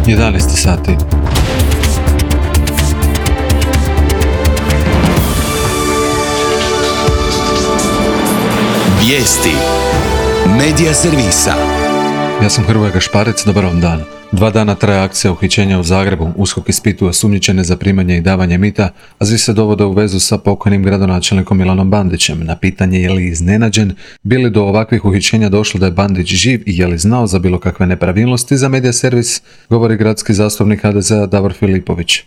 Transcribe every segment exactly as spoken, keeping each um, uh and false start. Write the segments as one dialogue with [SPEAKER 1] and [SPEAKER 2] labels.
[SPEAKER 1] jedanaest sati.
[SPEAKER 2] Vijesti Medija servisa.
[SPEAKER 1] Ja sam Hrvoje Gašparec, dobar vam dan. Dva dana traje akcija uhićenja u Zagrebu. USKOK ispituje osumnjičene za primanje i davanje mita, a svi se dovode u vezu sa pokojnim gradonačelnikom Milanom Bandićem. Na pitanje je li iznenađen, bi li do ovakvih uhićenja došlo da je Bandić živ i je li znao za bilo kakve nepravilnosti, za Medija servis govori gradski zastupnik ha de ze a Davor Filipović.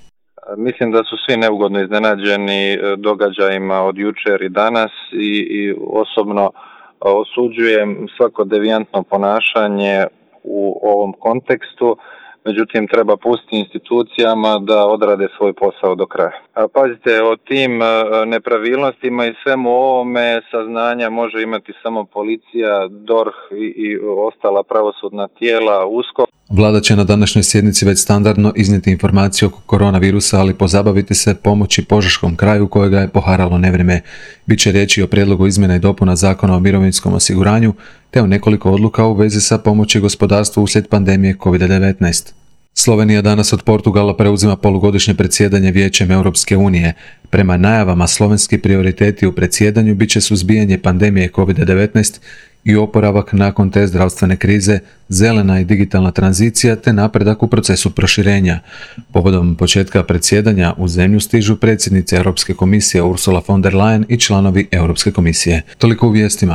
[SPEAKER 3] Mislim da su svi neugodno iznenađeni događajima od jučer i danas i, i osobno osuđujem svako devijantno ponašanje u ovom kontekstu, međutim treba pustiti institucijama da odrade svoj posao do kraja. A pazite, o tim nepravilnostima i svemu ovome saznanja može imati samo policija, D O R H i, i ostala pravosudna tijela, USKOK.
[SPEAKER 1] Vlada će na današnjoj sjednici već standardno iznijeti informacije oko koronavirusa, ali pozabaviti se pomoći Požeškom kraju kojega je poharalo nevrijeme. Biće riječi o prijedlogu izmjena i dopuna Zakona o mirovinskom osiguranju, te o nekoliko odluka u vezi sa pomoći gospodarstvu uslijed pandemije kovid devetnaest. Slovenija danas od Portugala preuzima polugodišnje predsjedanje Vijećem Europske unije. Prema najavama slovenski prioriteti u predsjedanju bit će suzbijanje pandemije kovid devetnaest i oporavak nakon te zdravstvene krize, zelena i digitalna tranzicija te napredak u procesu proširenja. Povodom početka predsjedanja u zemlju stižu predsjednice Europske komisije Ursula von der Leyen i članovi Europske komisije. Toliko u vijestima.